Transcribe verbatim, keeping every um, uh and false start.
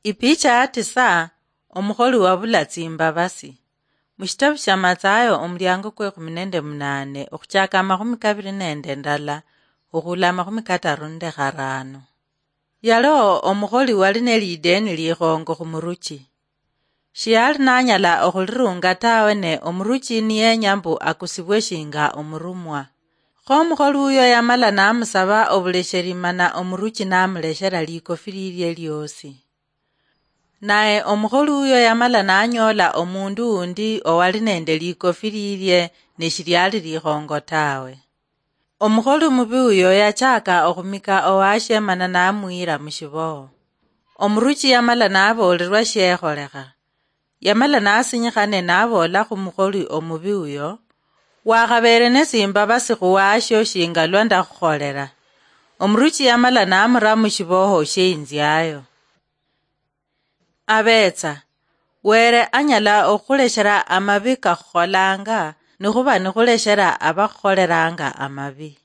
Ipicha ya tisa. Omukholi wabula tsimbabasi. Mushitabu shia Mathayo, omuliango kwe khumi nende munane, okhuchaka amakhumi kabiri nende ndala, okhula amakhumi kataru nende kharano. Yaliho omukholi wali nelideni likhongo khumuruchi. Shiyali nanyala okhulirunga tawe, ne omuruchi niyenya mbu akusibwe shinga omurumwa. Kho omukholi uyo yamala namusaba obulesheri, mana omuruchi namuleshera likofi lilie liosi. Naye omukholi uyo yamala nanyoola omundu undi owali nende likofi lilie, ne shiliali likhongo tawe. Omukholi omubi uyo yachaka okhumika owashie mana namuyira mushiboho. Omuruchi yamala naboolelwa shiekholekha. Yamala nasinyikha ne naboola khumukholi omubi uyo, "Wakhabeere nesimbabasi khuwashio shinga lwa ndakhukholera." Omuruchi yamala namura mushiboho shieinziayo. Abetsa, Were anyala okhuleshera amabi kakhukholanga, nikhuba nikhuleshera abakhukholeranga amabi.